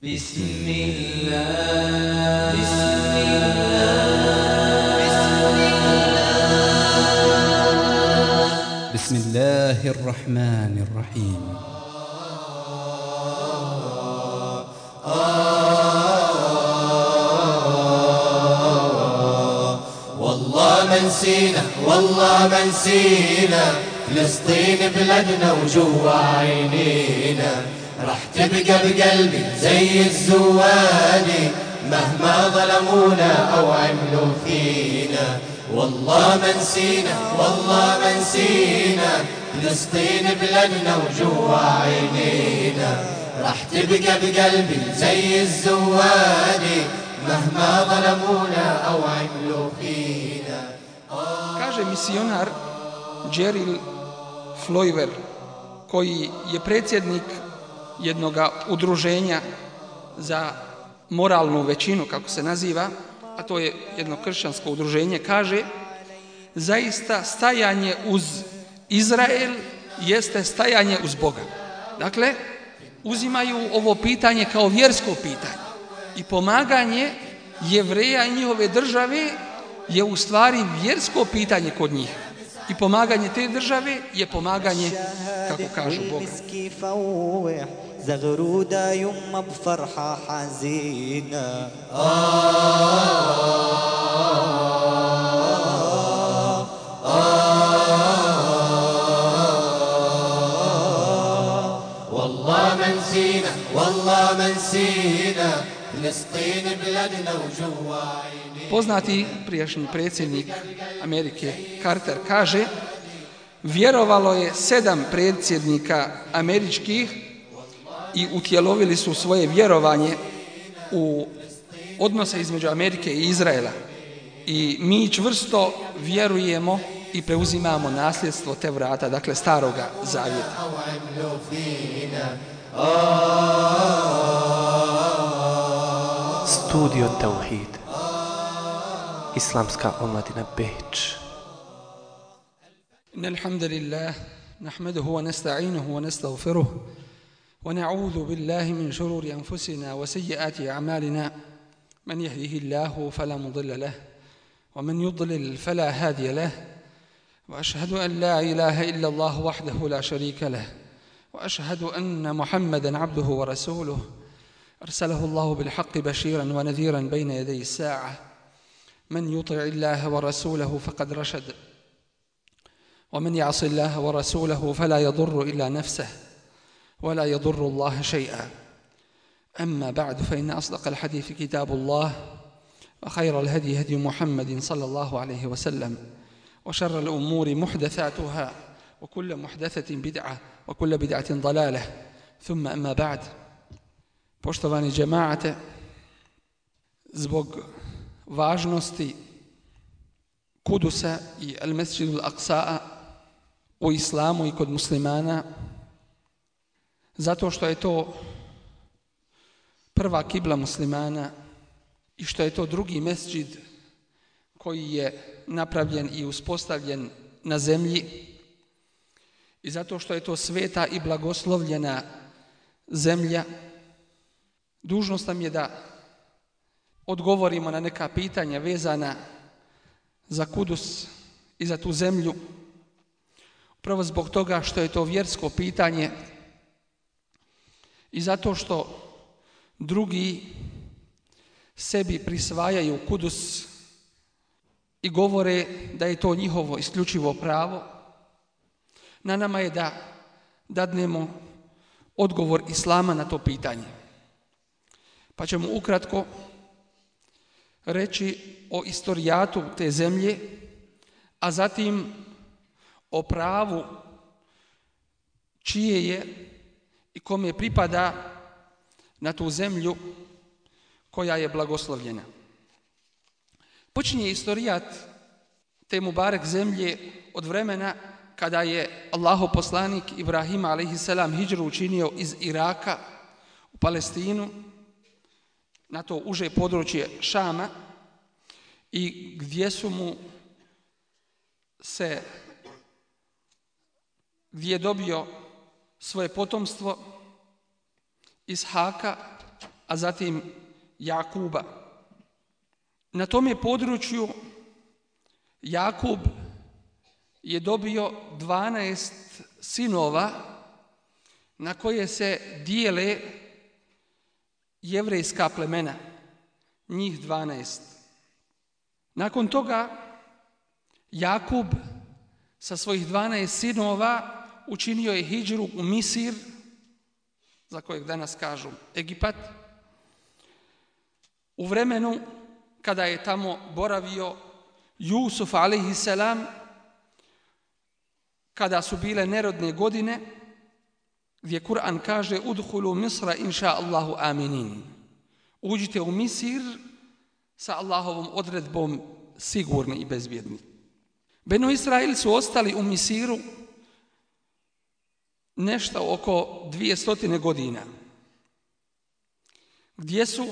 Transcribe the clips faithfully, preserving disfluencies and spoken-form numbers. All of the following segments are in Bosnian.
بسم الله بسم الله بسم الله الرحمن الرحيم والله ما نسينا والله ما نسينا فلسطين بلدنا وجوا عينينا راح تبقى بقلبي زي الزواني مهما ظلمونا أو عملوا فينا والله ما نسينا والله ما نسينا فلسطين بلدنا وجوا عينينا راح تبقى بقلبي زي الزواني مهما ظلمونا أو عملوا فينا. Kaže misionar Jerry Floiver, koji je predsjednik jednog udruženja za moralnu većinu, kako se naziva, a to je jedno kršćansko udruženje, kaže: zaista stajanje uz Izrael jeste stajanje uz Boga. Dakle, uzimaju ovo pitanje kao vjersko pitanje i pomaganje Jevreja i njihove države je u stvari vjersko pitanje kod njih. I pomaganje te države je pomaganje, kako kažu, Boga. زغرودة يما بفرحة حزينة والله ما نسينا والله ما نسينا فلسطين بلدنا وجوا عينينا. Poznati prijašnji predsjednik Amerike Carter kaže: vjerovalo je sedam predsjednika američkih i utjelovili su svoje vjerovanje u odnose između Amerike i Izraela. I mi čvrsto vjerujemo i preuzimamo nasljedstvo te vrata, dakle staroga zavjeta. Studio Tauhid, Islamska omladina Beč. Innal hamdalillah nahmaduhu wa nasta'inuhu wa nastaghfiruh ونعوذ بالله من شرور أنفسنا وسيئات أعمالنا من يهده الله فلا مضل له ومن يضلل فلا هادي له وأشهد أن لا إله إلا الله وحده لا شريك له وأشهد أن محمدا عبده ورسوله أرسله الله بالحق بشيرا ونذيرا بين يدي الساعة من يطع الله ورسوله فقد رشد ومن يعص الله ورسوله فلا يضر إلا نفسه ولا يضر الله شيئا. أما بعد فإن أصدق الحديث كتاب الله وخير الهدي هدي محمد صلى الله عليه وسلم وشر الأمور محدثاتها وكل محدثة بدعة وكل بدعة ضلالة ثم أما بعد. Poštovani džemaate, zbog važnosti Kudusa i Al-Mesdžidul Aqsa'a u islamu i kod muslimana, zato što je to prva kibla muslimana i što je to drugi mesdžid koji je napravljen i uspostavljen na zemlji i zato što je to sveta i blagoslovljena zemlja, dužnost nam je da odgovorimo na neka pitanja vezana za Kudus i za tu zemlju, upravo zbog toga što je to vjersko pitanje i zato što drugi sebi prisvajaju Kudus i govore da je to njihovo isključivo pravo. Na nama je da dadnemo odgovor Islama na to pitanje. Pa ćemo ukratko reći o istorijatu te zemlje, a zatim o pravu čije je i kome pripada na tu zemlju koja je blagoslovljena. Počinje istorijat te Mubarek zemlje od vremena kada je Allahov poslanik Ibrahim alejhiselam hidžru učinio iz Iraka u Palestinu, na to uže područje Šama, i gdje su mu se, gdje je dobio svoje potomstvo Ishaka a zatim Jakuba. Na tome području Jakub je dobio dvanaest sinova na koje se dijele jevrejska plemena, njih dvanaest. Nakon toga Jakub sa svojih dvanaest sinova učinio je hidžru u Misir, za kojeg danas kažu Egipat, u vremenu kada je tamo boravio Jusuf alejhiselam, kada su bile nerodne godine, gdje Kur'an kaže udhulu Misra inša Allahu aminin. Uđite u Misir sa Allahovom odredbom sigurni i bezbjedni. Benu Israil su ostali u Misiru nešto oko dvije godina, gdje su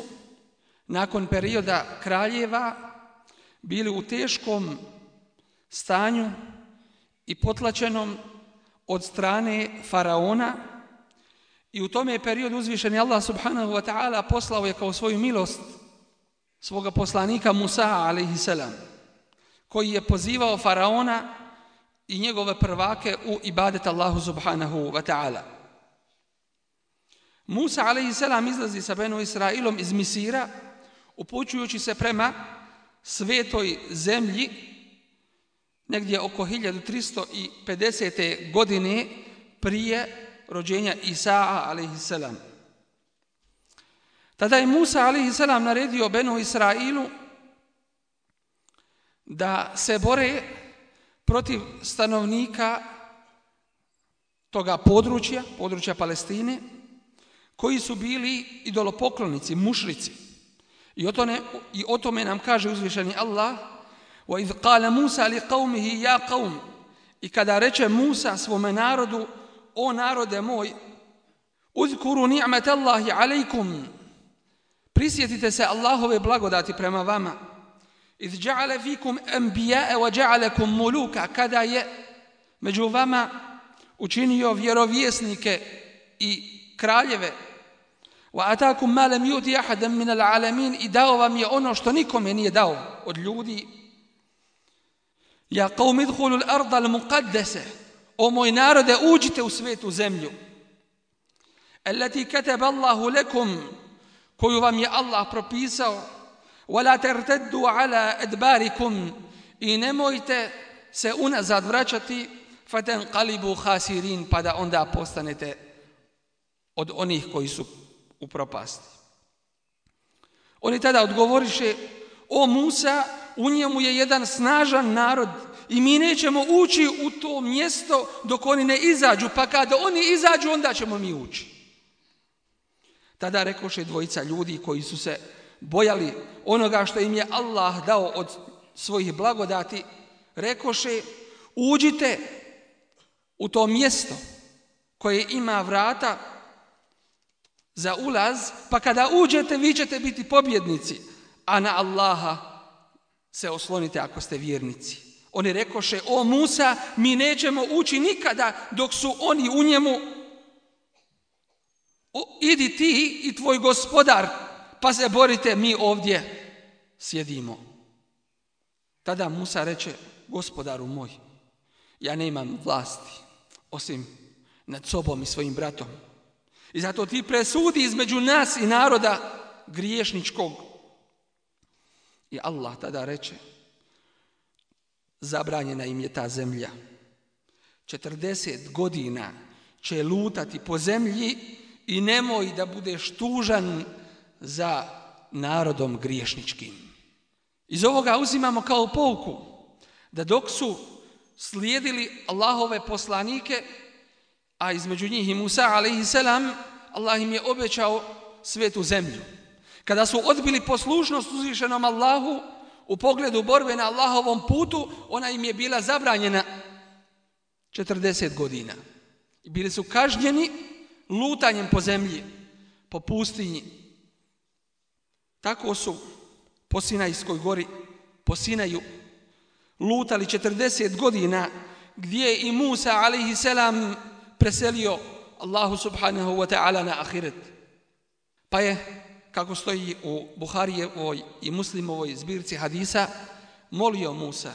nakon perioda kraljeva bili u teškom stanju i potlačenom od strane faraona, i u tome periodu uzvišeni Allah subhanahu wa ta'ala poslao je kao svoju milost svoga poslanika Musa alejhiselam, koji je pozivao faraona i njegove prvake u ibadet Allahu subhanahu wa ta'ala. Musa alejhiselam izlazi sa Benu Israilom iz Misira, upućujući se prema svetoj zemlji negdje oko hiljadu tristo pedesete. godine prije rođenja Isaa alejhiselam. Tada je Musa alejhiselam naredio Benu Israilu da se bore protiv stanovnika toga područja, područja Palestine, koji su bili idolopoklonici, mušrici. I o tome, i o tome nam kaže uzvišeni Allah: وَإِذْ قَالَ مُوسَى لِقَوْمِهِ يَا قَوْمِ. I kada reče Musa svome narodu: o narode moj, uzkuru ni'mat Allahi alejkum, prisjetite se Allahove blagodati prema vama. Iz ja'ale fikum anbiya'a wa ja'alakum muluka, kada je među vama učinio vjerovjesnike i kraljeve. Wa atakum ma lam yuti ahadan min al-alamin, i dao vam je ono što nikome nije dao od ljudi. Ja qaum idkhulu al-arda al-muqaddasa, o moj narode, uđite u svetu zemlju. Allati kataba Allahu lakum, koju vam je Allah propisao. Wala tartaddu ala adbarikum, i nemojte se unazad vraćati. Fatanqalibu khasirin, pa da onda postanete od onih koji su u propasti. Oni tada odgovoriše: o Musa, u njemu je jedan snažan narod i mi nećemo ući u to mjesto dok oni ne izađu, pa kada oni izađu onda ćemo mi ući. Tada rekoše dvojica ljudi koji su se bojali onoga što im je Allah dao od svojih blagodati, rekoše: uđite u to mjesto koje ima vrata za ulaz, pa kada uđete vi ćete biti pobjednici, a na Allaha se oslonite ako ste vjernici. Oni rekoše: o Musa, mi nećemo ući nikada dok su oni u njemu. O, idi ti i tvoj gospodar, pa se borite, mi ovdje sjedimo. Tada Musa reče: gospodaru moj, ja nemam vlasti osim nad sobom i svojim bratom. I zato ti presudi između nas i naroda griješničkog. I Allah tada reče: zabranjena im je ta zemlja. četrdeset godina će lutati po zemlji i nemoj da budeš tužan za narodom griješničkim. Iz ovoga uzimamo kao pouku da dok su slijedili Allahove poslanike, a između njih i Musa alejhiselam, Allah im je obećao svetu zemlju. Kada su odbili poslušnost uzvišenom Allahu u pogledu borbe na Allahovom putu, ona im je bila zabranjena četrdeset godina. I bili su kažnjeni lutanjem po zemlji, po pustinji. Tako su po Sinajskoj gori, po Sinaju, lutali četrdeset godina, gdje je i Musa alejhiselam preselio Allahu subhanahu wa ta'ala na ahiret. Pa je kako stoji u Buharijevoj i Muslimovoj zbirci hadisa, molio Musa,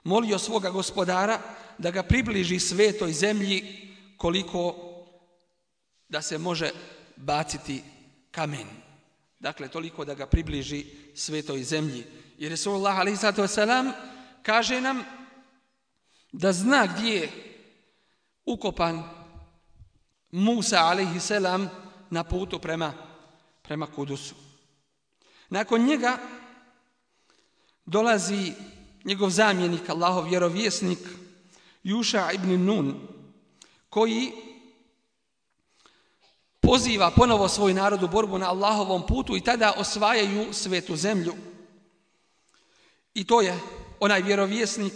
molio svoga gospodara da ga približi svetoj zemlji koliko da se može baciti kamen. Dakle, toliko da ga približi svetoj zemlji. I Resulullah alejhi salatu vesselam kaže nam da zna gdje je ukopan Musa alejhi selam na putu prema, prema Kudusu. Nakon njega dolazi njegov zamjenik, Allahov vjerovjesnik, Juša ibn Nun, koji poziva ponovo svoj narod u borbu na Allahovom putu i tada osvajaju svetu zemlju. I to je onaj vjerovjesnik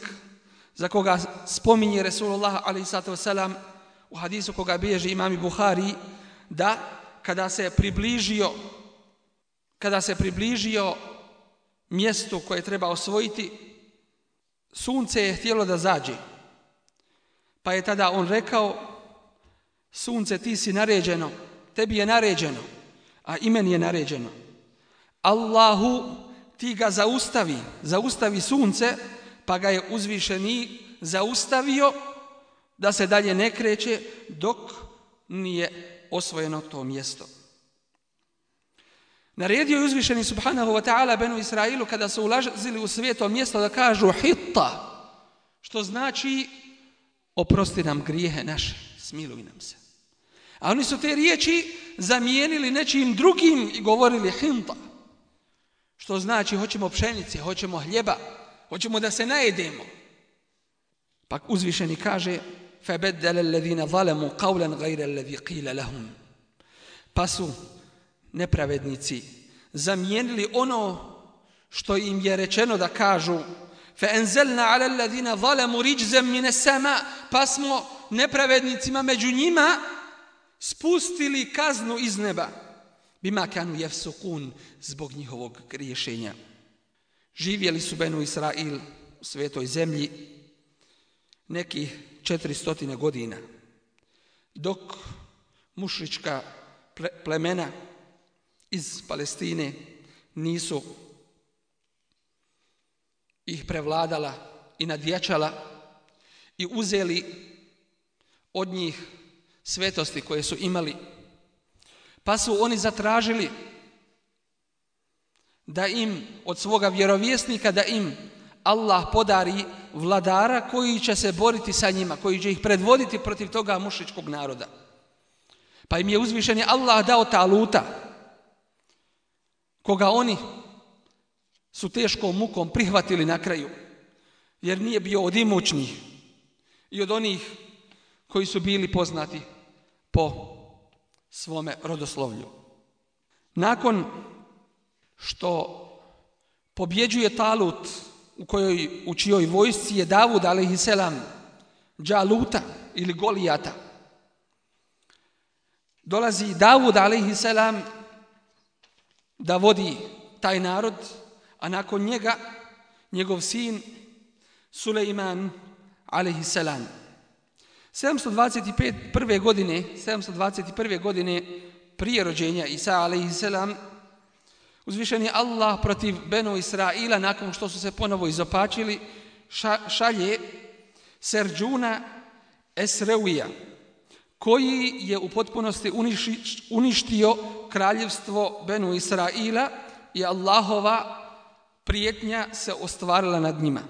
za koga spominje Resulullah alejhi salatu vesselam u hadisu koga bilježi imam Buhari, da kada se približio kada se približio mjestu koje treba osvojiti, sunce je htjelo da zađe. Pa je tada on rekao: sunce, ti si naređeno, tebi je naređeno, a i meni je naređeno. Allahu, ti ga zaustavi, zaustavi sunce, pa ga je uzvišeni zaustavio da se dalje ne kreće dok nije osvojeno to mjesto. Naredio je uzvišeni subhanahu wa ta'ala Benu Israilu kada su ulazili u sveto mjesto da kažu hitta, što znači oprosti nam grijehe naše, smiluj nam se. A oni su te riječi zamijenili nečim drugim i govorili hinta, što znači hoćemo pšenice, hoćemo hljeba, hoćemo da se najedemo. Pa uzvišeni kaže: فَبَدَّلَ الَّذِينَ ظَلَمُوا قَوْلًا غَيْرَ الَّذِي قِيلَ لَهُمْ. Pa su nepravednici zamijenili ono što im je rečeno da kažu: فَأَنزَلْنَا عَلَى الَّذِينَ ظَلَمُوا رِجْزًا مِنَ السَّمَاءِ. Pa smo nepravednicima među njima spustili kaznu iz neba. Bima kanu yafsukun, zbog njihovog griješenja. Živjeli su Benu Israil u svetoj zemlji nekih četiristo godina, dok mušrička plemena iz Palestine nisu ih prevladala i nadjačala i uzeli od njih svetosti koje su imali. Pa su oni zatražili da im od svoga vjerovjesnika da im Allah podari vladara koji će se boriti sa njima, koji će ih predvoditi protiv toga mušričkog naroda. Pa im je uzvišeni Allah dao Taluta, koga oni su teškom mukom prihvatili na kraju, jer nije bio od imućnih i od onih koji su bili poznati po svome rodoslovlju. Nakon što pobjeđuje Talut, u kojoj u čijoj vojsci je Davud alejhi selam Džaluta ili Golijata, dolazi Davud alejhi selam da vodi taj narod, a nakon njega njegov sin Sulejman alejhi selam. sedamsto dvadeset prve godine, sedamsto dvadeset prve godine prije rođenja Isa alejhi selam, uzvišeni Allah protiv Benu Israila, nakon što su se ponovo izopačili, šalje Serđuna Esreuija, koji je u potpunosti uništio kraljevstvo Benu Israila i Allahova prijetnja se ostvarila nad njima.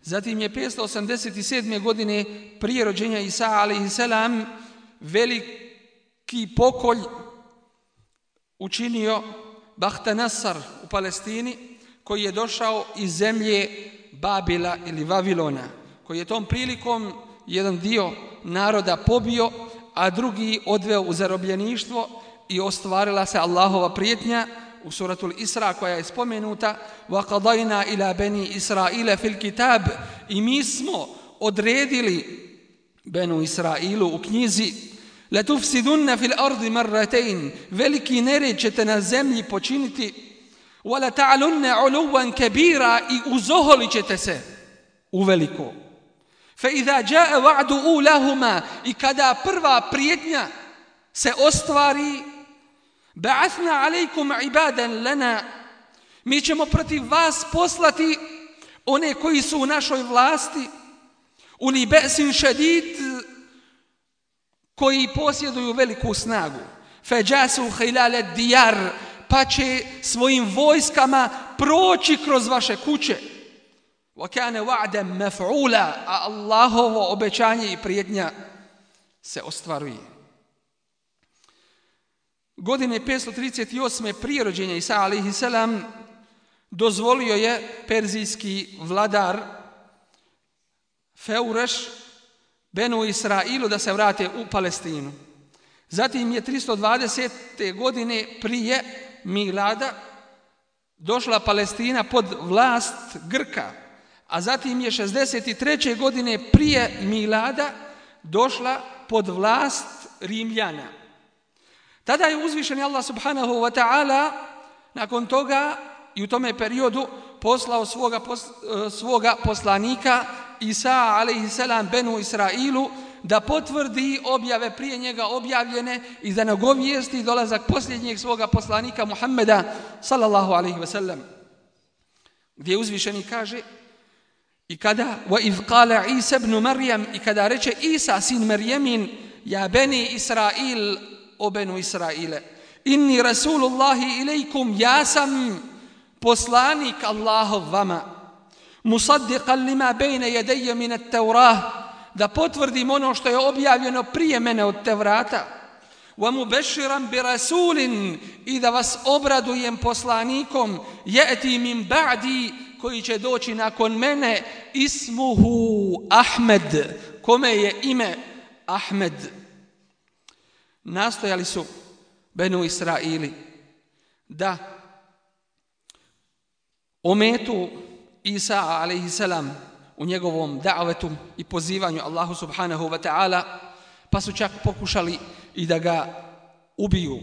Zatim je petsto osamdeset sedme godine prije rođenja Isa alejhi selam veliki pokolj učinio Bahtanasar u Palestini, koji je došao iz zemlje Babila ili Vavilona, koji je tom prilikom jedan dio naroda pobio, a drugi odveo u zarobljeništvo i ostvarila se Allahova prijetnja u suratul Isra koja je spomenuta: وَقَضَيْنَا إِلَى بَنِي إِسْرَائِيلَ فِي الْكِتَابِ. I mi smo odredili Benu Israilu u knjizi: لَتُفْسِدُنَّ فِي الْأَرْضِ مَرَّتَيْنِ. Veliki nered ćete na zemlji počiniti. وَلَتَعْلُنَّ عُلُوًا كَبِيرًا. I uzoholit ćete se uveliko. فَإِذَا جَاءَ وَعْدُ أُولَهُمَا. I kada prva prijetnja se ostvari, Ba'athna alejkum ibadan lana, mi ćemo protiv vas poslati one koji su u našoj vlasti, uli ba'sin šadid, koji posjeduju veliku snagu. Fajasu khilal diyar, pa će svojim vojskama proći kroz vaše kuće. Wa kana wa'dan maf'ula, a Allahovo obećanje i prijetnja se ostvaruje. Godine petsto trideset osme prije rođenja Isa alejhi selam dozvolio je perzijski vladar Feureš Benu Israilu da se vrate u Palestinu. Zatim je tristo dvadesete godine prije milada došla Palestina pod vlast Grka, a zatim je šezdeset treće godine prije milada došla pod vlast Rimljana. Tada je uzvišeni Allah subhanahu wa ta'ala nakon toga i u tome periodu poslao svoga, pos, svoga poslanika Isa alejhi selam Benu Israilu da potvrdi objave prije njega objavljene i da nagovijesti dolazak posljednjeg svoga poslanika Muhammeda sallallahu alejhi ve sellem. Gdje uzvišeni kaže i kada wa iz qala Isa ibn Maryam, i kada reče Isa sin Marjemin, ja beni Israil, o Benu Israile, inni rasulullahi ilejkum, ja sam poslanik Allahov vama, musaddiqan lima bejne jedeje min at-Taurah, da potvrdim ono što je objavljeno prije mene od Tevrata, wa mubashiran bi rasulin, i da vas obradujem poslanikom, ya'ti min ba'di, koji će doći nakon mene, ismuhu Ahmed, kome je ime Ahmed. Nastojali su Benu Israili da ometu Isa alejhi selam u njegovom da'vetu i pozivanju Allahu subhanahu wa ta'ala, pa su čak pokušali i da ga ubiju.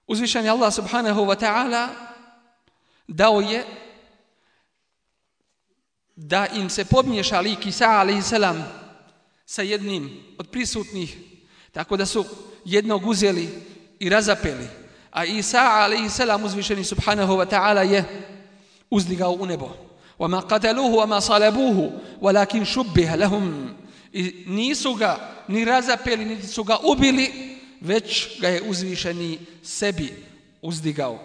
Uzvišeni Allah subhanahu wa ta'ala dao je da im se pomiješa lik Isa alejhi selam sa jednim od prisutnih, tako da su jednog uzeli i razapeli, a Isa alejhi selam uzvišeni subhanahu wa ta'ala je uzdigao u nebo. وَمَا قَتَلُوهُ وَمَا صَلَبُوهُ وَلَكِنْ شُبِّهَ لَهُمْ, i nisu ga ni razapeli, niti su ga ubili, već ga je uzvišeni sebi uzdigao.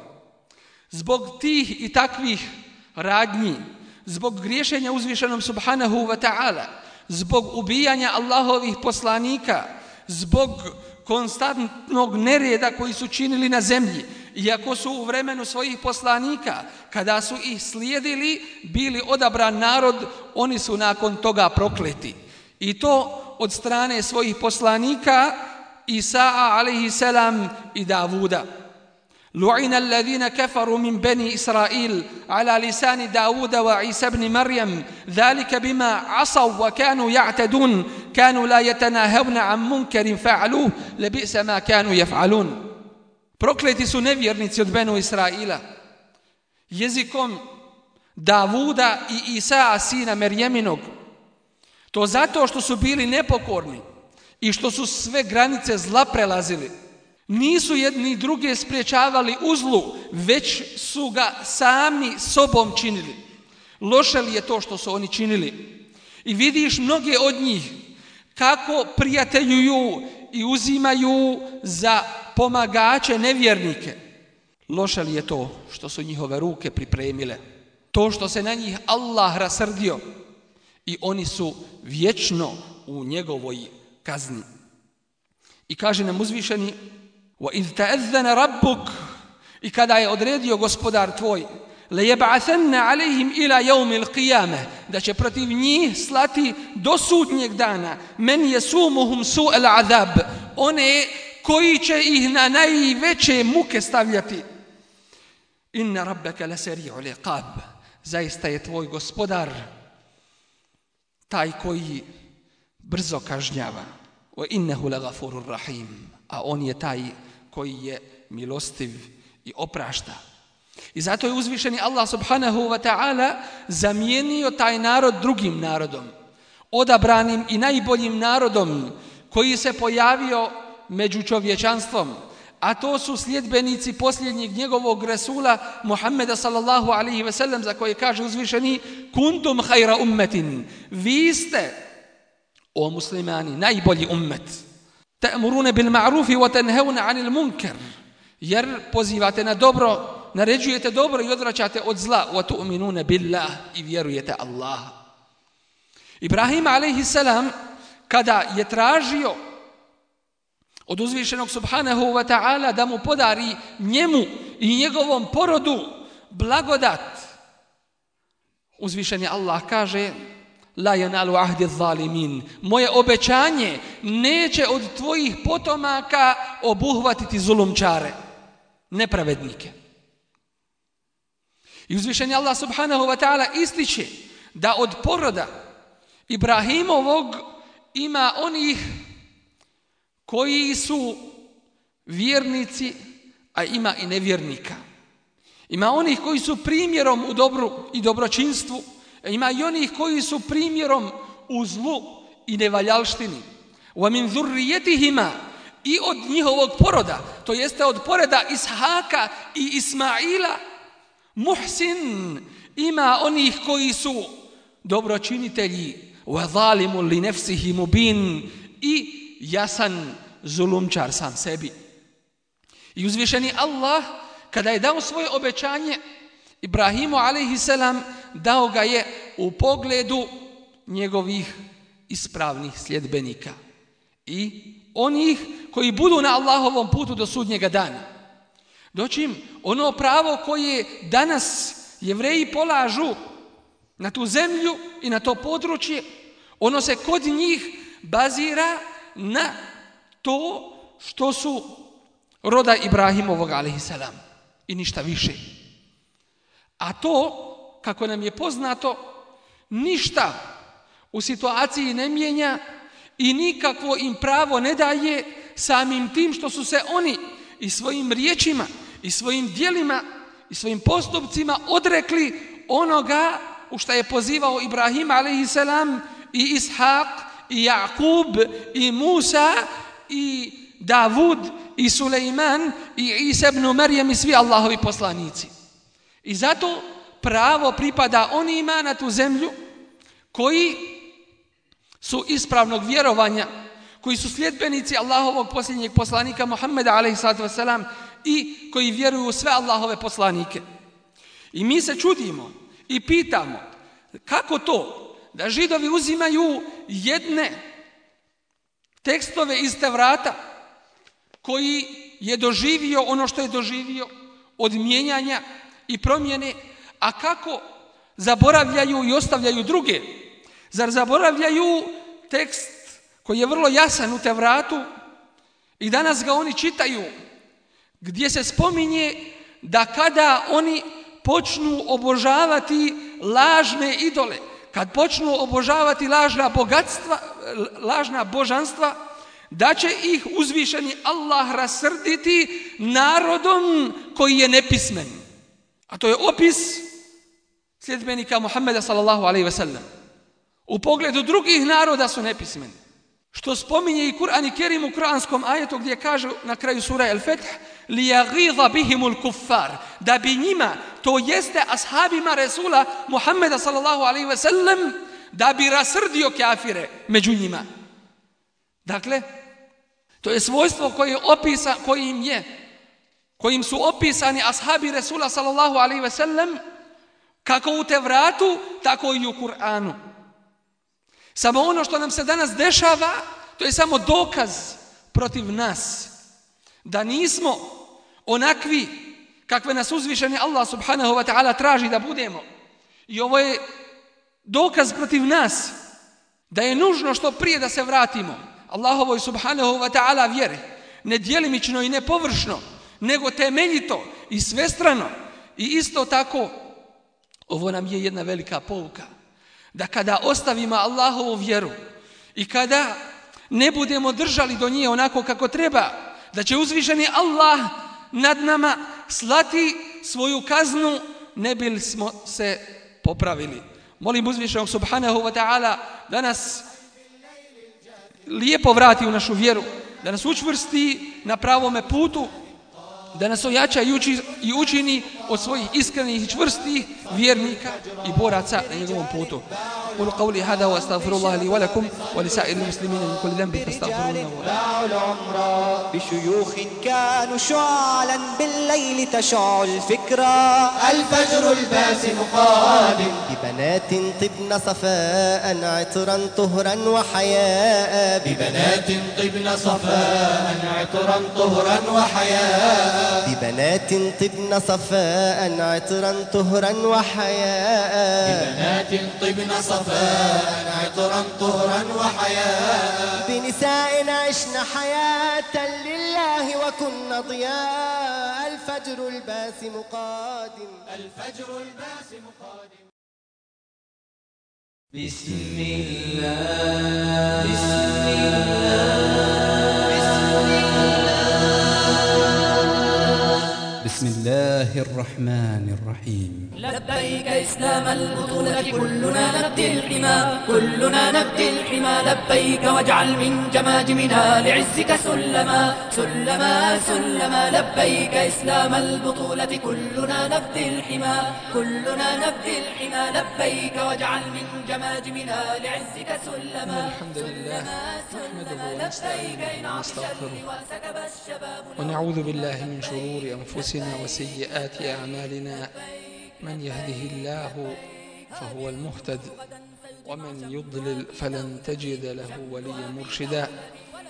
Zbog tih i takvih radnji, zbog griješenja uzvišenom subhanahu wa ta'ala, zbog ubijanja Allahovih poslanika, zbog konstantnog nereda koji su činili na zemlji, iako su u vremenu svojih poslanika, kada su ih slijedili, bili odabran narod, oni su nakon toga prokleti. I to od strane svojih poslanika Isa alejhi selam i Davuda. Lu'ina alladhina kafaru min bani Israil ala lisani Davuda wa Isa ibn Maryam, dhalika bima asaw wa kanu ya'tadun, kanu la yatanahawna an munkarin fa'aluhu, labisa ma kanu yaf'alun. Prokleti su nevjernici od Benu Israila jezikom Davuda i Isa sina Merjeminog. To zato što su bili nepokorni i što su sve granice zla prelazili. Nisu jedni druge spriječavali u zlu, već su ga sami sobom činili. Loše li je to što su oni činili? I vidiš mnoge od njih kako prijateljuju i uzimaju za pomagače nevjernike. Loše li je to što su njihove ruke pripremile? To što se na njih Allah rasrdio i oni su vječno u njegovoj kazni. I kaže nam uzvišeni وَإِذْ تَأَذَّنَ رَبُّكَ, i kada je odredio gospodar tvoj, لَيَبْعَثَنَّ عَلَيْهِمْ إِلَى يَوْمِ الْقِيَامَةِ, da će protiv njih slati do sudnjeg dana, مَنْ يَسُومُهُمْ سُوءَ الْعَذَابِ, one koji će ih na najveće muke stavljati. إِنَّ رَبَّكَ لَسَرِيعُ الْعِقَابِ, zaista je tvoj gospodar taj koji brzo kažnjava. وَإِنَّهُ لَغَفُورٌ رَحِيمٌ, a on je taj koji je milostiv i oprašta. I zato je uzvišeni Allah subhanahu wa ta'ala zamijenio taj narod drugim narodom, odabranim i najboljim narodom koji se pojavio među čovječanstvom, a to su sljedbenici posljednjeg njegovog Resula Muhammeda sallallahu alaihi ve sellem, za koje kaže uzvišeni kuntum hajra ummetin, vi ste, o muslimani, najbolji ummet. Ta'murune bil ma'rufi wa tanhauna 'anil munkar, jer pozivate na dobro, naređujete dobro i odvraćate od zla. Wa tu'minuna billah, i vjerujete Allaha. Ibrahim alejhi selam kada je tražio od uzvišenog subhanahu wa ta'ala da mu podari njemu i njegovom porodu blagodat, uzvišeni Allah kaže la yanalu ahdi zalimin, moje obećanje neće od tvojih potomaka obuhvatiti zulumčare, nepravednike. I uzvišeni Allah subhanahu wa ta'ala ističe da od poroda Ibrahimovog ima onih koji su vjernici, a ima i nevjernika. Ima onih koji su primjerom u dobru i dobročinstvu, a ima i onih koji su primjerom u zlu i nevaljalštini. Wa min zurrijetihima, i od njihovog poroda, to jeste od poroda Ishaka i Ismaila, muhsin, ima onih koji su dobročinitelji, wa zalimu li nefsihi mubin, i jasan zulumčar sam sebi. I uzvišeni Allah, kada je dao svoje obećanje Ibrahimu alejhi selam, dao ga je u pogledu njegovih ispravnih sljedbenika i onih koji budu na Allahovom putu do sudnjega dana. Dočim ono pravo koje danas Jevreji polažu na tu zemlju i na to područje, ono se kod njih bazira na to što su roda Ibrahimovog alejhi selam i ništa više. A to, kako nam je poznato, ništa u situaciji ne mijenja i nikakvo im pravo ne daje samim tim što su se oni i svojim riječima i svojim djelima i svojim postupcima odrekli onoga u što je pozivao Ibrahim alejhi selam i Ishak i Jakub i Musa i Davud i Sulejman i Isa ibn Marijem i svi Allahovi poslanici. I zato pravo pripada onima na tu zemlju koji su ispravnog vjerovanja, koji su sljedbenici Allahovog posljednjeg poslanika Muhammeda alejhi salatu vesselam i koji vjeruju u sve Allahove poslanike. I mi se čudimo i pitamo kako to da Židovi uzimaju jedne tekstove iz Tevrata koji je doživio ono što je doživio od mijenjanja i promjene, a kako zaboravljaju i ostavljaju druge. Zar zaboravljaju tekst koji je vrlo jasan u Tevratu i danas ga oni čitaju, gdje se spominje da kada oni počnu obožavati lažne idole, kad počnu obožavati lažna bogatstva, lažna božanstva, da će ih uzvišeni Allah rasrditi narodom koji je nepismen. A to je opis sljedbenika Muhammeda sallallahu alejhi ve sellem. U pogledu drugih naroda su nepismeni. Što spominje i Kur'an i Kerim u kuranskom ajetu gdje kaže na kraju sura El-Feth لِيَغِيظَ بِهِمُ الْكُفَّارِ, da bi njima, to jeste ashabima Resula Muhammeda sallallahu alejhi ve sellem, da bi rasrdio kafire među njima. Dakle, to je svojstvo koje opisa, kojim je, kojim su opisani ashabi Resula sallallahu alejhi ve sellem, kako u Tevratu, tako i u Kur'anu. Samo ono što nam se danas dešava, to je samo dokaz protiv nas. Da nismo onakvi kakve nas uzvišeni Allah subhanahu wa ta'ala traži da budemo. I ovo je dokaz protiv nas da je nužno što prije da se vratimo Allahovoj subhanahu wa ta'ala vjeri. Ne djelimično i ne površno, nego temeljito i svestrano. I isto tako, ovo nam je jedna velika pouka. Da kada ostavimo Allahovu vjeru i kada ne budemo držali do nje onako kako treba, da će uzvišeni Allah nad nama slati svoju kaznu, ne bi smo se popravili. Molim uzvišenog subhanahu wa ta'ala da nas lijepo vrati u našu vjeru, da nas učvrsti na pravome putu da nas ojača i, uči, i učini od svojih iskrenih i čvrstih vjernika i boraca na njegovom putu. قولوا قولي هذا واستغفر الله لي ولكم ولسائر المسلمين من كل ذنب فاستغفروه. بشيوخ كانوا شعلا بالليل تشع الفكرة الفجر الباسم قادم ببنات طبن صفاء عطرا طهرا وحياء ببنات طبن صفاء عطرا طهرا وحياء ببنات طبن صفاء عطرا طهرا وحياء ببنات طبن صفاء عطرا طهرا وحياء بنساء عشنا حياة لله وكنا ضياء الفجر الباسم قادم الفجر الباسم قادم بسم الله بسم الله بسم الله الرحمن الرحيم لبيك إسلام البطولة كلنا نبدي الحمى كلنا نبدي الحمى لبيك واجعل من جماجمنا لعزك سلما سلما سلما لبيك إسلام البطولة كلنا نبدي الحمى كلنا نبدي الحمى لبيك واجعل من جماجمنا لعزك سلما الحمد لله نحمده ونستعينه ونستغفره الشباب ونعوذ بالله من شرور أنفسنا وسيئات أعمالنا من يهده الله فهو المهتد ومن يضلل فلن تجد له وليا مرشدا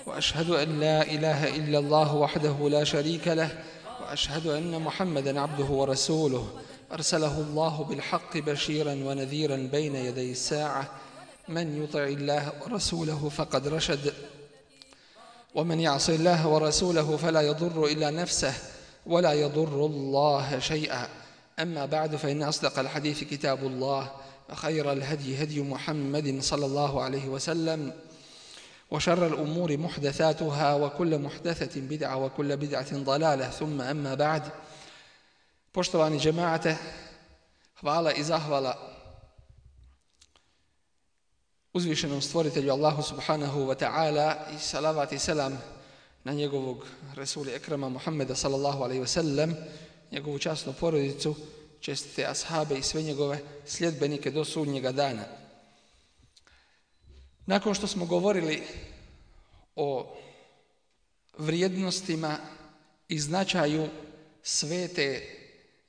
وأشهد أن لا إله إلا الله وحده لا شريك له وأشهد أن محمدا عبده ورسوله أرسله الله بالحق بشيرا ونذيرا بين يدي الساعة من يطع الله ورسوله فقد رشد ومن يعص الله ورسوله فلا يضر إلا نفسه ولا يضر الله شيئا أما بعد فإن أصدق الحديث كتاب الله وخير الهدي هدي محمد صلى الله عليه وسلم وشر الأمور محدثاتها وكل محدثة بدعة وكل بدعة ضلالة ثم أما بعد. Poštovani džemaate, hvala i zahvala uzvišenom stvoritelju Allahu subhanahu wa ta'ala i salavat i selam na njegovog Rasuli Ekrama Muhammeda sallallahu alaihi wa sallam, njegovu časnu porodicu, čestite ashabe i sve njegove sljedbenike do sudnjega dana. Nakon što smo govorili o vrijednostima i značaju svete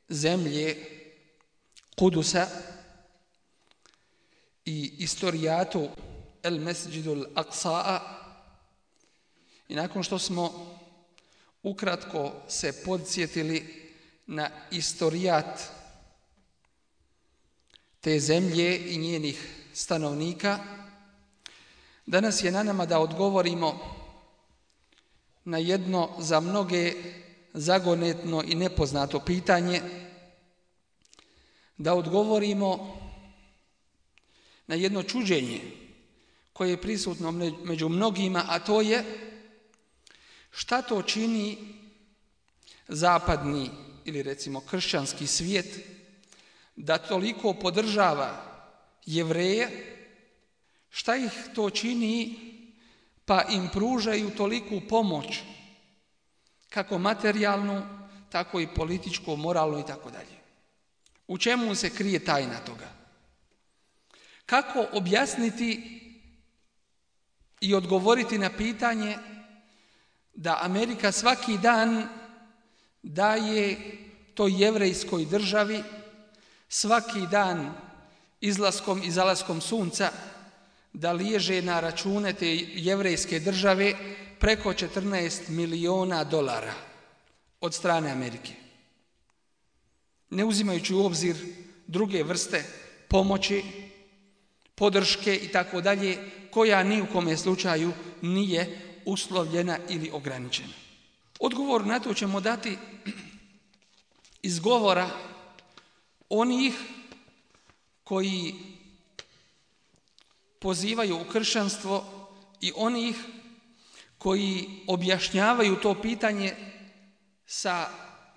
zemlje Kudusa i istorijatu El Mesđidul Aqsa'a i nakon što smo ukratko se podsjetili na istorijat te zemlje i njenih stanovnika, danas je na nama da odgovorimo na jedno za mnoge zagonetno i nepoznato pitanje, da odgovorimo na jedno čuđenje koje je prisutno među mnogima, a to je šta to čini zapadni ili recimo kršćanski svijet da toliko podržava Jevreje, šta ih to čini pa im pružaju toliku pomoć, kako materijalnu, tako i političku, moralnu i tako dalje. U čemu se krije tajna toga? Kako objasniti i odgovoriti na pitanje da Amerika svaki dan daje toj jevrejskoj državi svaki dan izlaskom i zalaskom sunca da liježe na račune te jevrejske države preko četrnaest miliona dolara od strane Amerike, ne uzimajući u obzir druge vrste pomoći, podrške i tako dalje, koja ni u kome slučaju nije uslovljena ili ograničena. Odgovor na to ćemo dati iz govora onih koji pozivaju u kršćanstvo i onih koji objašnjavaju to pitanje sa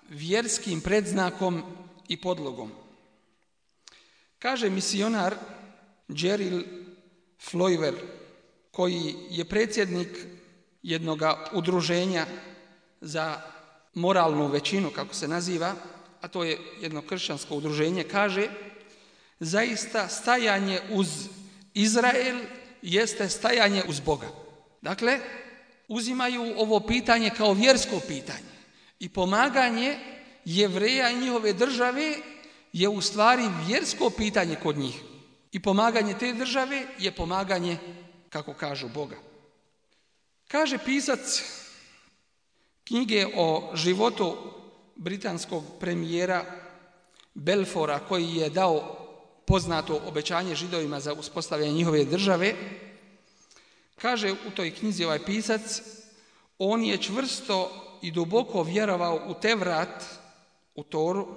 vjerskim predznakom i podlogom. Kaže misionar Jerry Floiver, koji je predsjednik jednog udruženja za moralnu većinu, kako se naziva, a to je jedno kršćansko udruženje, kaže zaista stajanje uz Izrael jeste stajanje uz Boga. Dakle, uzimaju ovo pitanje kao vjersko pitanje i pomaganje Jevreja i njihove države je u stvari vjersko pitanje kod njih. I pomaganje te države je pomaganje, kako kažu, Boga. Kaže pisac knjige o životu britanskog premijera Balfoura, koji je dao poznato obećanje Židovima za uspostavljanje njihove države, kaže u toj knjizi ovaj pisac, on je čvrsto i duboko vjerovao u Tevrat, u Toru,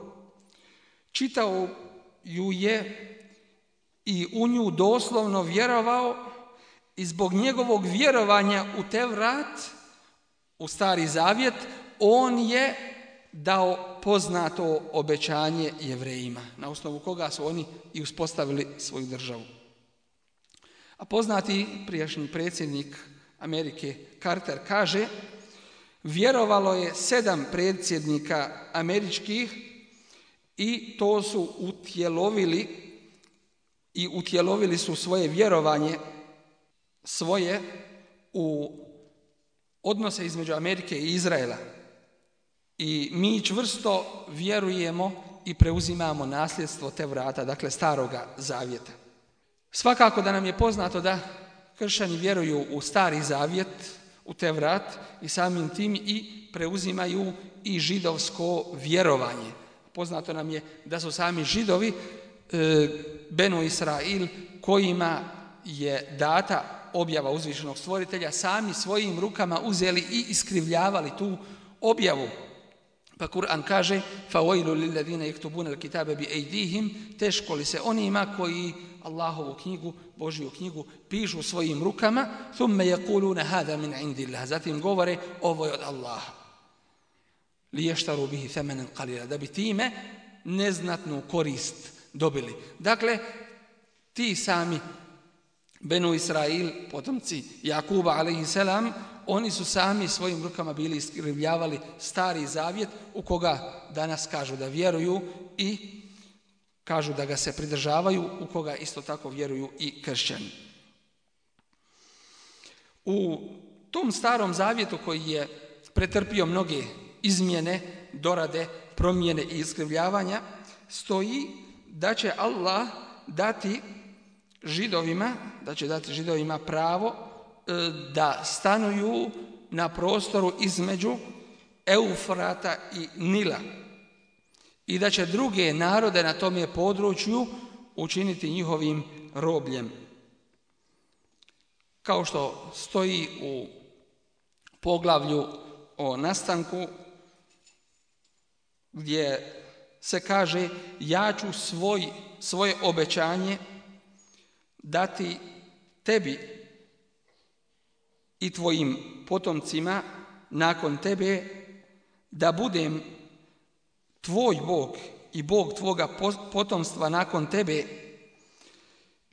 čitao ju je i u nju doslovno vjerovao i zbog njegovog vjerovanja u Tevrat, u Stari Zavjet, on je dao poznato obećanje Jevrejima, na osnovu koga su oni i uspostavili svoju državu. A poznati prijašnji predsjednik Amerike Carter kaže, vjerovalo je sedam predsjednika američkih i to su utjelovili i utjelovili su svoje vjerovanje svoje u odnose između Amerike i Izraela. I mi čvrsto vjerujemo i preuzimamo nasljedstvo Tevrata, dakle Staroga Zavjeta. Svakako da nam je poznato da kršćani vjeruju u Stari Zavjet, u Tevrat i samim tim i preuzimaju i židovsko vjerovanje. Poznato nam je da su sami Židovi, e, Benu Israil, kojima je data objava uzvišenog stvoritelja, sami svojim rukama uzeli i iskrivljavali tu objavu. Pa Kur'an kaže فَوَيْلُ لِلَّذِينَ يَكْتُبُونَ الْكِتَابَ بِأَيْدِيهِمْ, teško li se onima koji Allahovu knjigu, Božju knjigu, pišu svojim rukama, ثُمَّ يَقُولُونَ هَذَا مِنْ عِنْدِ اللَّهِ, zatim govore ovo je od Allaha. لِيَشْتَرُوا بِهِ ثَمَنًا قَلِيلًا, da bi time neznatnu korist dobili. Dakle, ti sami Benu Israil, potomci Jakuba alejhiselam, oni su sami svojim rukama bili iskrivljavali Stari Zavjet, u koga danas kažu da vjeruju i kažu da ga se pridržavaju, u koga isto tako vjeruju i kršćani. U tom Starom Zavjetu, koji je pretrpio mnoge izmjene, dorade, promjene i iskrivljavanja, stoji da će Allah dati Židovima, da će dati Židovima pravo da stanuju na prostoru između Eufrata i Nila i da će druge narode na tom je području učiniti njihovim robljem. Kao što stoji u poglavlju o nastanku, gdje se kaže ja ću svoj, svoje obećanje dati tebi i tvojim potomcima nakon tebe, da budem tvoj Bog i Bog tvoga potomstva nakon tebe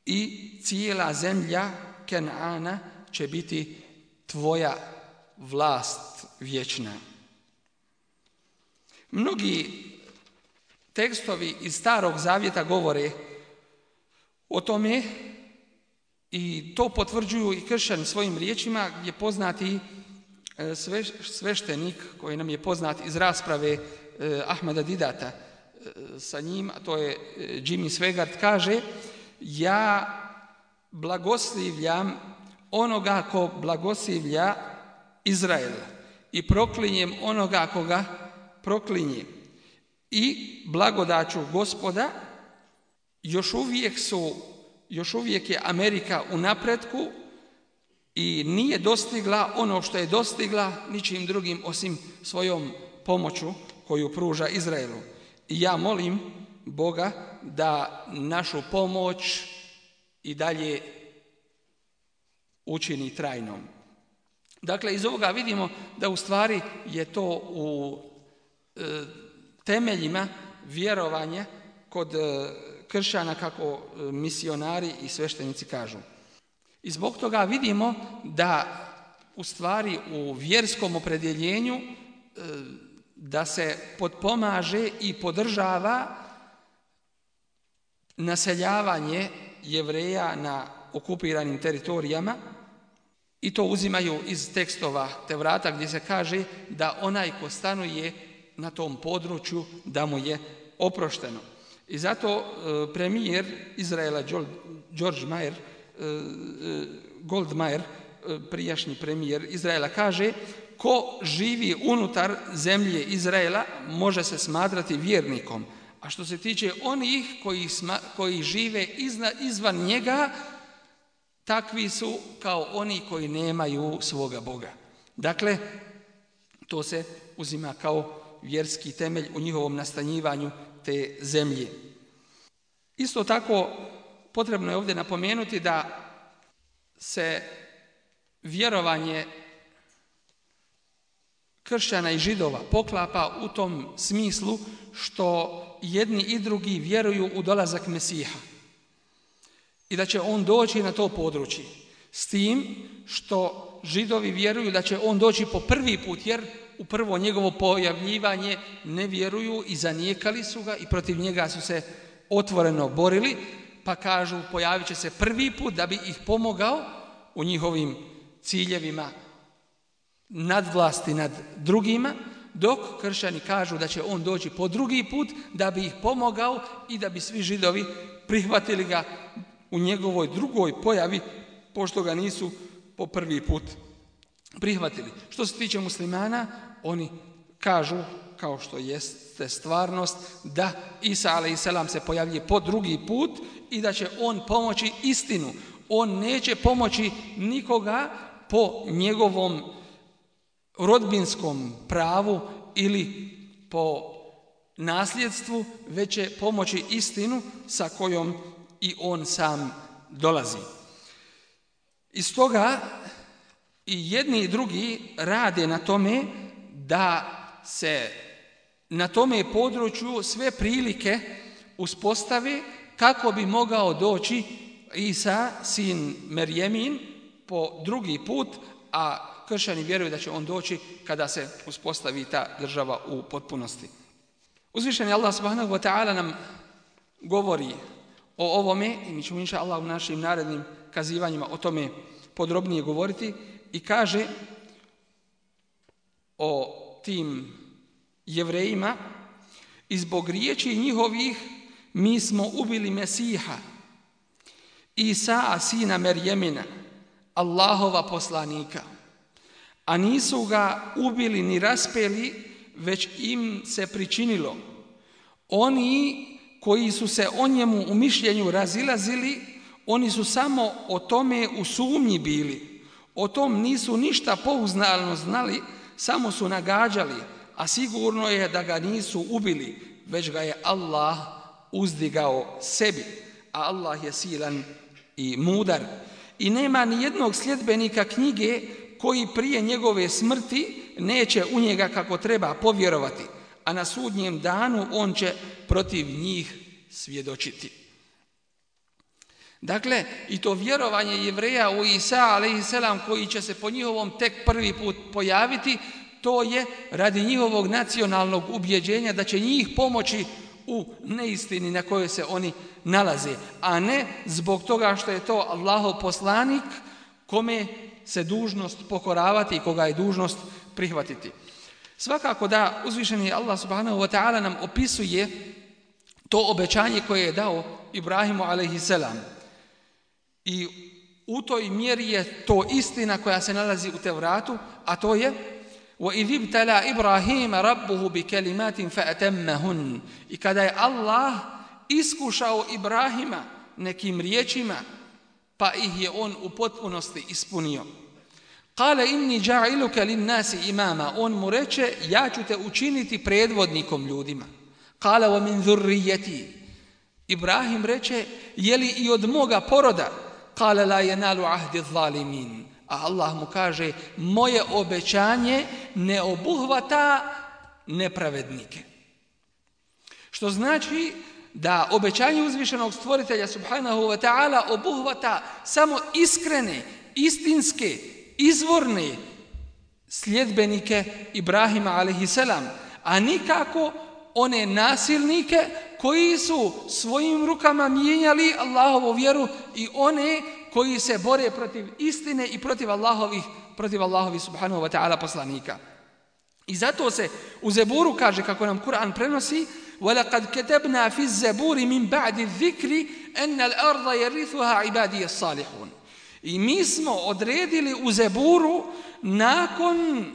i cijela zemlja Kenana će biti tvoja vlast vječna. Mnogi tekstovi iz Starog Zavjeta govore o tome i to potvrđuju i kršćani svojim riječima, gdje poznati sveštenik koji nam je poznat iz rasprave Ahmeda Didata sa njim, a to je Jimmy Swaggart, kaže ja blagoslivljam onoga ko blagoslivlja Izrael i proklinjem onoga koga proklinje. I blagodaću Gospoda još uvijek su još uvijek je Amerika u napretku i nije dostigla ono što je dostigla ničim drugim osim svojom pomoću koju pruža Izraelu. I ja molim Boga da našu pomoć i dalje učini trajnom. Dakle, iz ovoga vidimo da u stvari je to u e, temeljima vjerovanja kod e, kršćana, kako misionari i sveštenici kažu. I zbog toga vidimo da u stvari u vjerskom opredjeljenju da se potpomaže i podržava naseljavanje Jevreja na okupiranim teritorijama i to uzimaju iz tekstova Tevrata gdje se kaže da onaj ko stanuje na tom području da mu je oprošteno. I zato e, premijer Izraela George Meyer, e, Goldmeier, e, prijašnji premijer Izraela, kaže ko živi unutar zemlje Izraela može se smatrati vjernikom. A što se tiče onih koji, sma, koji žive izna, izvan njega, takvi su kao oni koji nemaju svoga Boga. Dakle, to se uzima kao vjerski temelj u njihovom nastanjivanju te zemlje. Isto tako, potrebno je ovdje napomenuti da se vjerovanje kršćana i židova poklapa u tom smislu što jedni i drugi vjeruju u dolazak Mesiha i da će on doći na to područje. S tim što židovi vjeruju da će on doći po prvi put, jer u prvo njegovo pojavljivanje ne vjeruju i zanijekali su ga i protiv njega su se otvoreno borili, pa kažu pojavit će se prvi put da bi ih pomogao u njihovim ciljevima nadvlasti nad drugima, dok kršćani kažu da će on doći po drugi put da bi ih pomogao i da bi svi židovi prihvatili ga u njegovoj drugoj pojavi, pošto ga nisu po prvi put prihvatili. Što se tiče muslimana, oni kažu, kao što jeste stvarnost, da Isa alejselam se pojavljuje po drugi put i da će on pomoći istinu. On neće pomoći nikoga po njegovom rodbinskom pravu ili po nasljedstvu, već će pomoći istinu sa kojom i on sam dolazi. Iz toga i jedni i drugi rade na tome da se na tome području sve prilike uspostave kako bi mogao doći Isa, sin Merjemin, po drugi put, a kršćani vjeruju da će on doći kada se uspostavi ta država u potpunosti. Uzvišeni Allah subhanahu wa ta'ala nam govori o ovome i mi ćemo inša Allah u našim narednim kazivanjima o tome podrobnije govoriti i kaže o tim Jevrejima: i zbog riječi njihovih mi smo ubili Mesiha, Isa, sina Merjemina, Allahova poslanika, a nisu ga ubili ni raspeli, već im se pričinilo. Oni koji su se o njemu u mišljenju razilazili, oni su samo o tome u sumnji bili. O tom nisu ništa pouzdano znali, samo su nagađali, a sigurno je da ga nisu ubili, već ga je Allah uzdigao sebi, a Allah je silan i mudar. I nema ni jednog sljedbenika knjige koji prije njegove smrti neće u njega kako treba povjerovati, a na sudnjem danu on će protiv njih svjedočiti. Dakle, i to vjerovanje Jevreja u Isa alejselam, koji će se po njihovom tek prvi put pojaviti, to je radi njihovog nacionalnog ubjeđenja da će njih pomoći u neistini na kojoj se oni nalaze, a ne zbog toga što je to Allahov poslanik kome se dužnost pokoravati i koga je dužnost prihvatiti. Svakako da uzvišeni Allah subhanahu wa ta'ala nam opisuje to obećanje koje je dao Ibrahimu alejselam. I u toj mjeri je to istina koja se nalazi u Tevratu, a to je وَإِذِ ابْتَلَى إِبْرَاهِيمَ رَبُّهُ بِكَلِمَاتٍ فَأَتَمَّهُنْ. I kada je Allah iskušao Ibrahima nekim riječima, pa ih je on u potpunosti ispunio. قَالَ إِنِّي جَعِلُكَ لِلنَّاسِ إِمَامًا. On mu reče, ja ću te učiniti predvodnikom ljudima. قَالَ وَمِنْ ذُرِّيَّتِي. Ibrahim reče, je li i od moga poroda? قَالَ لَا يَنَالُ عَهْدِ الظَّالِمِينَ. A Allah mu kaže, moje obećanje ne obuhvata nepravednike. Što znači da obećanje uzvišenog stvoritelja subhanahu wa ta'ala obuhvata samo iskrene, istinske, izvorne sljedbenike Ibrahima alejselam, a nikako one nasilnike koji su svojim rukama mijenjali Allahovu vjeru i one koji se bore protiv istine i protiv Allahovih, protiv Allahovih subhanahu wa ta'ala poslanika. I zato se u Zeburu kaže, kako nam Kur'an prenosi, وَلَقَدْ كَتَبْنَا فِي الزَّبُورِ مِنْ بَعْدِ الذِّكْرِ أَنَّ الْأَرْضَ يَرِثُهَا عِبَادِيَ الصَّالِحُونَ. I mi smo odredili u Zeburu nakon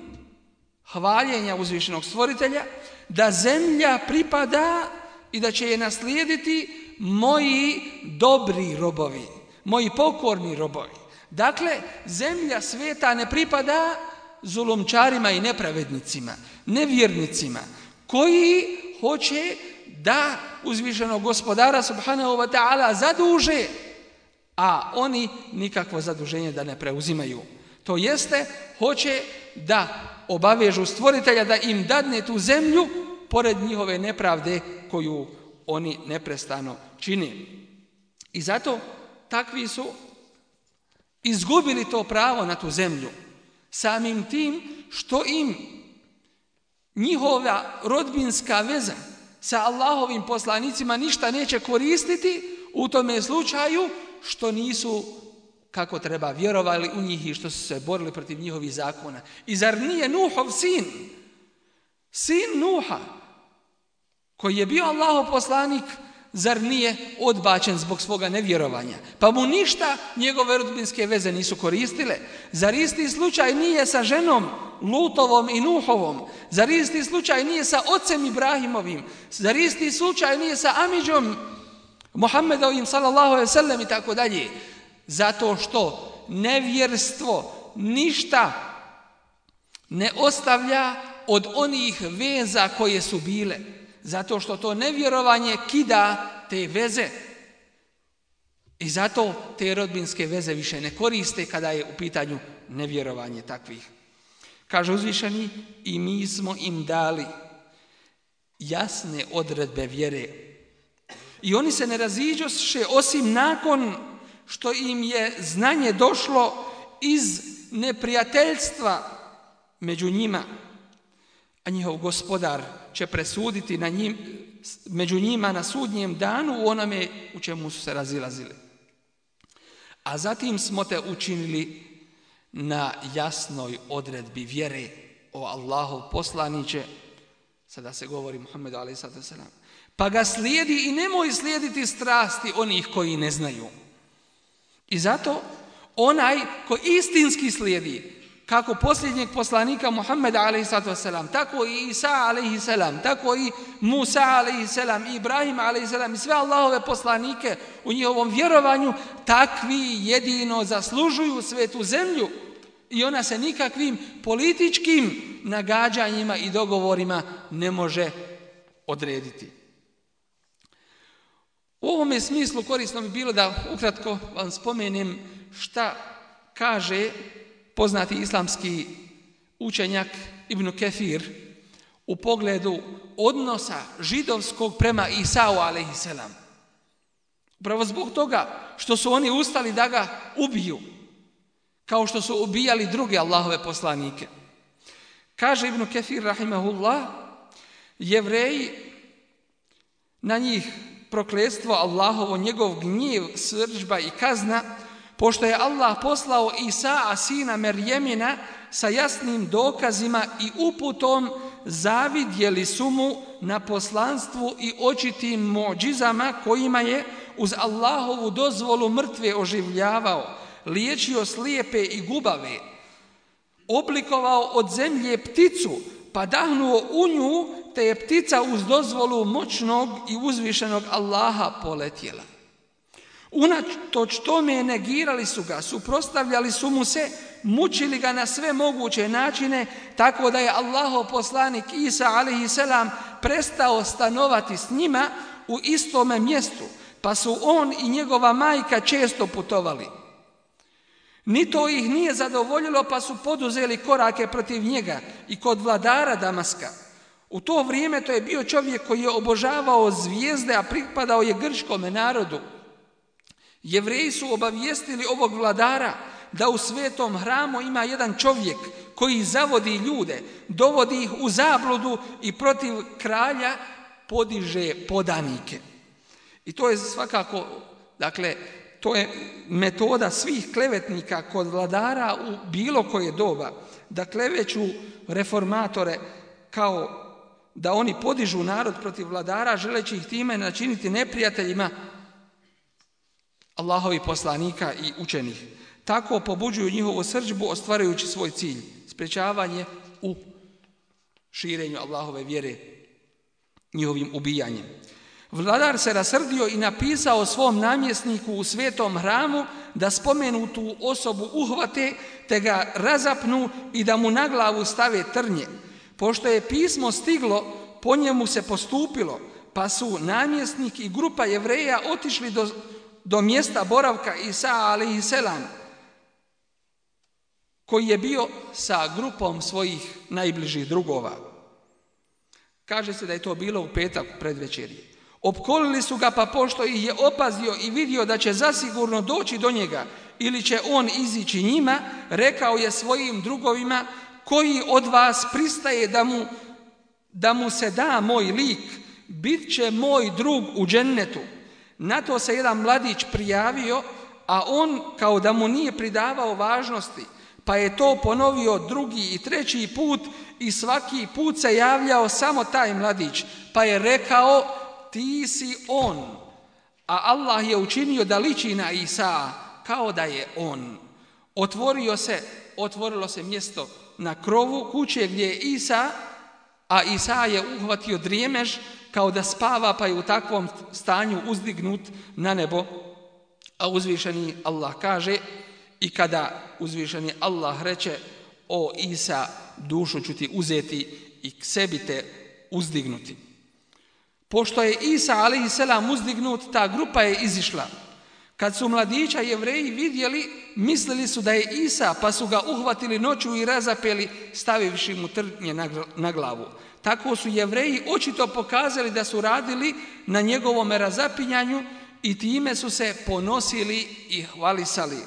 hvaljenja uzvišenog stvoritelja da zemlja pripada i da će je naslijediti moji dobri robovi, moji pokorni robovi. Dakle, zemlja sveta ne pripada zulumčarima i nepravednicima, nevjernicima, koji hoće da uzvišenog gospodara subhanahu wa ta'ala zaduže, a oni nikakvo zaduženje da ne preuzimaju. To jeste, hoće da obavežu stvoritelja da im dadne tu zemlju pored njihove nepravde koju oni neprestano čine. I zato takvi su izgubili to pravo na tu zemlju samim tim što im njihova rodbinska veza sa Allahovim poslanicima ništa neće koristiti u tome slučaju što nisu kako treba vjerovali u njih i što su se borili protiv njihovih zakona. I zar nije Nuhov sin, sin Nuha, koji je bio Allahov poslanik, zar nije odbačen zbog svoga nevjerovanja? Pa mu ništa njegove rodbinske veze nisu koristile. Zar isti slučaj nije sa ženom Lutovom i Nuhovom? Zar isti slučaj nije sa ocem Ibrahimovim? Zar isti slučaj nije sa Amidžom Muhammedovim sallallahu alejhi ve sellem i tako dalje? Zato što nevjerstvo ništa ne ostavlja od onih veza koje su bile. Zato što to nevjerovanje kida te veze. I zato te rodbinske veze više ne koriste kada je u pitanju nevjerovanje takvih. Kaže uzvišeni, i mi smo im dali jasne odredbe vjere. I oni se ne raziđoše osim nakon što im je znanje došlo iz neprijateljstva među njima. A njihov gospodar će presuditi na njim, među njima na sudnjem danu u onome u čemu su se razilazili. A zatim smo te učinili na jasnoj odredbi vjere, o Allahov poslaniće, sada se govori Muhammedu alejhi salatu vesselam, pa ga slijedi i nemoj slijediti strasti onih koji ne znaju. I zato onaj ko istinski slijedi kako posljednjeg poslanika Muhammeda alejhi salatu vesselam, tako i Isa alejhi selam, tako i Musa alejhi selam, i Ibrahim alejhi selam i sve Allahove poslanike u njihovom vjerovanju, takvi jedino zaslužuju svetu zemlju i ona se nikakvim političkim nagađanjima i dogovorima ne može odrediti. U ovome smislu korisno bi bilo da ukratko vam spomenem šta kaže poznati islamski učenjak Ibn Kefir u pogledu odnosa židovskog prema Isau alejhi selam. Upravo zbog toga što su oni ustali da ga ubiju, kao što su ubijali druge Allahove poslanike. Kaže Ibn Kefir rahimahullah, Jevreji, na njih prokletstvo Allahovo, njegov gnjev, srdžba i kazna, pošto je Allah poslao Isa, sina Merjemina, sa jasnim dokazima i uputom, zavidjeli su mu na poslanstvu i očitim muđizama kojima je uz Allahovu dozvolu mrtve oživljavao, liječio slijepe i gubave, oblikovao od zemlje pticu, pa dahnuo u nju, te je ptica uz dozvolu moćnog i uzvišenog Allaha poletjela. Unatoč tome negirali su ga, suprotstavljali su mu se, mučili ga na sve moguće načine, tako da je Allahov poslanik Isa alejhi selam prestao stanovati s njima u istome mjestu, pa su on i njegova majka često putovali. Ni to ih nije zadovoljilo, pa su poduzeli korake protiv njega i kod vladara Damaska. U to vrijeme to je bio čovjek koji je obožavao zvijezde, a pripadao je grčkome narodu. Jevreji su obavijestili ovog vladara da u svetom hramu ima jedan čovjek koji zavodi ljude, dovodi ih u zabludu i protiv kralja podiže podanike. I to je svakako, dakle, to je metoda svih klevetnika kod vladara u bilo koje doba, da kleveću reformatore kao da oni podižu narod protiv vladara, želeći ih time načiniti neprijateljima Allahovi poslanika i učenih. Tako pobuđuju njihovu srdžbu, ostvarujući svoj cilj, sprečavanje u širenju Allahove vjere njihovim ubijanjem. Vladar se rasrdio i napisao svom namjesniku u svetom hramu da spomenutu osobu uhvate te ga razapnu i da mu na glavu stave trnje. Pošto je pismo stiglo, po njemu se postupilo, pa su namjesnik i grupa Jevreja otišli do, do mjesta boravka Isa alejhi selam, koji je bio sa grupom svojih najbližih drugova. Kaže se da je to bilo u petak predvečerje. Opkolili su ga, pa pošto ih je opazio i vidio da će zasigurno doći do njega ili će on izići njima, rekao je svojim drugovima: koji od vas pristaje da mu, da mu se da moj lik, bit će moj drug u džennetu. Na to se jedan mladić prijavio, a on kao da mu nije pridavao važnosti, pa je to ponovio drugi i treći put i svaki put se javljao samo taj mladić, pa je rekao: ti si on. A Allah je učinio da liči na Isa kao da je on. Otvorio se, otvorilo se mjesto na krovu kuće gdje je Isa, a Isa je uhvatio drijemež kao da spava, pa je u takvom stanju uzdignut na nebo. A uzvišeni Allah kaže: i kada uzvišeni Allah reče: o Isa, dušu ću ti uzeti i k sebi te uzdignuti. Pošto je Isa alejhi selam uzdignut, ta grupa je izišla. Kad su mladića Jevreji vidjeli, mislili su da je Isa, pa su ga uhvatili noću i razapeli, stavivši mu trnje na glavu. Tako su Jevreji očito pokazali da su radili na njegovom razapinjanju i time su se ponosili i hvalisali.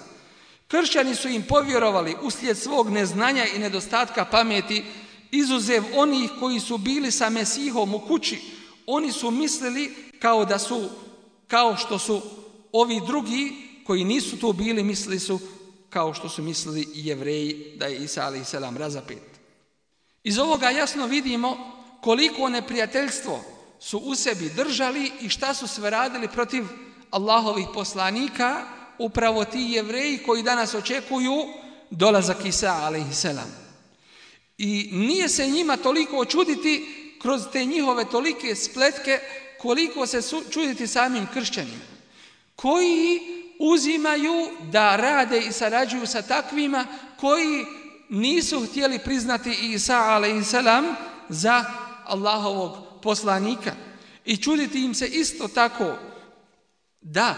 Kršćani su im povjerovali uslijed svog neznanja i nedostatka pameti, izuzev onih koji su bili sa Mesihom u kući. Oni su mislili kao da su, kao što su ovi drugi koji nisu tu bili, mislili su kao što su mislili i Jevreji da je Isa alejhi selam razapet. Iz ovoga jasno vidimo koliko neprijateljstvo su u sebi držali i šta su sve radili protiv Allahovih poslanika, upravo ti Jevreji koji danas očekuju dolazak Isa alejhi selam. I nije se njima toliko čuditi kroz te njihove tolike spletke, koliko se čuditi samim kršćanima, koji uzimaju da rade i sarađuju sa takvima koji nisu htjeli priznati Isa alejhi selam za Allahovog poslanika. I čuditi im se isto tako da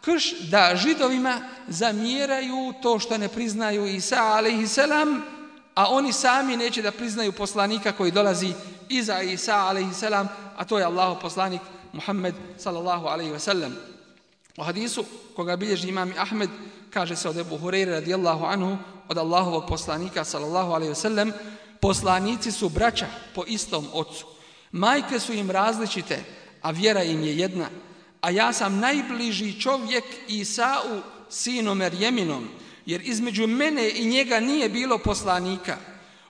krš, da Židovima zamjeraju to što ne priznaju Isa alejhi selam, a oni sami neće da priznaju poslanika koji dolazi iza Isa alejhi selam, a to je Allahov poslanik Muhammed sallallahu alejhi ve sellem. U hadisu koga bilježi imam Ahmed, kaže se od Ebu Hureyre radijallahu anhu, od Allahovog poslanika sallallahu alejhi ve sellem: poslanici su braća po istom ocu, majke su im različite, a vjera im je jedna. A ja sam najbliži čovjek Isau, sinu Merjeminom, jer između mene i njega nije bilo poslanika.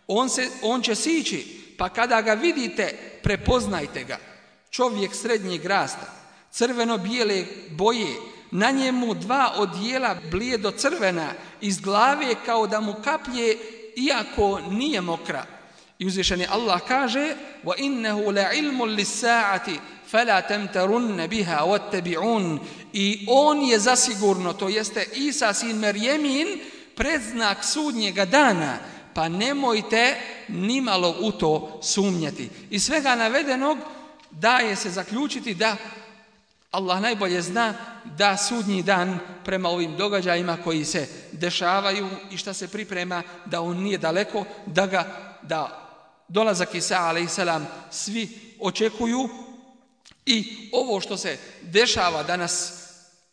On, se, on će sići, pa kada ga vidite, prepoznajte ga. Čovjek srednjeg rasta, crveno-bijele boje, na njemu dva odijela blijedo crvena, iz glave kao da mu kaplje, iako nije mokra. I uzvišeni Allah kaže: وَإِنَّهُ لَعِلْمٌ لِلسَّاعَةِ فَلَا تَمْتَرُنَّ بِهَا وَاتَّبِعُونَ. I on je zasigurno, to jeste Isa sin Merjemin, predznak sudnjega dana, pa nemojte nimalo u to sumnjati. Iz svega navedenog daje se zaključiti da Allah najbolje zna da sudnji dan prema ovim događajima koji se dešavaju i šta se priprema, da on nije daleko, da ga, da dolazak Isa alejhi selam svi očekuju. I ovo što se dešava danas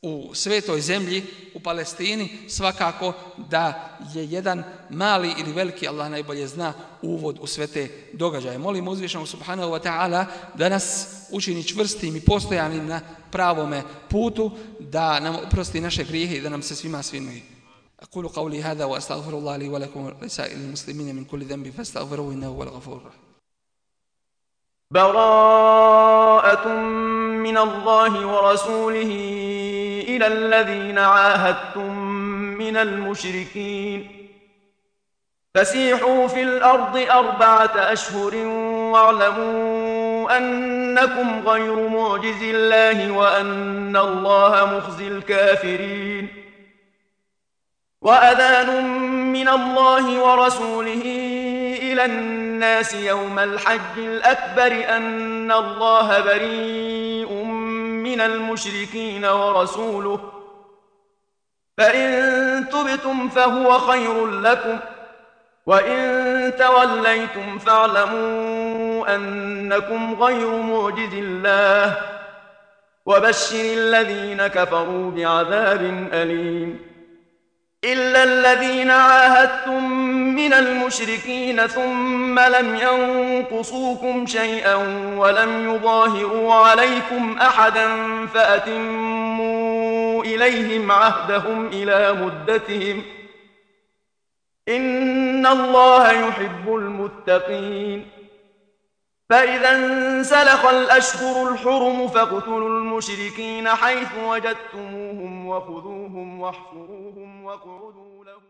u svetoj zemlji, u Palestini, svakako da je jedan mali ili veliki, Allah najbolje zna, uvod u sve te događaje. Molim uzvišenog subhanahu wa ta'ala da nas učini čvrstim i postojanim na pravome putu, da nam oprosti naše grijehe i da nam se svima svinuje. أقول قولي هذا وأستغفر الله لي ولكم ولسائر المسلمين من كل ذنب فاستغفروه إنه هو الغفور الرحيم. براءة من الله ورسوله إلى الذين عاهدتم من المشركين فسيحوا في الأرض أربعة أشهر واعلموا أنكم غير معجز الله وأن الله مخزي الكافرين وأذان من الله ورسوله إلى الناس يوم الحج الأكبر أن الله بريء من المشركين ورسوله فإن تبتم فهو خير لكم وإن توليتم فاعلموا أنكم غير معجز الله وبشر الذين كفروا بعذاب أليم إلا الذين عاهدتم من المشركين ثم لم ينقصوكم شيئا ولم يظاهروا عليكم أحدا فأتموا إليهم عهدهم إلى مدتهم إن الله يحب المتقين فإذا انسلخ الأشهر الحرم فاقتلوا المشركين حيث وجدتموهم وخذوهم واحصروهم واقعدوا لهم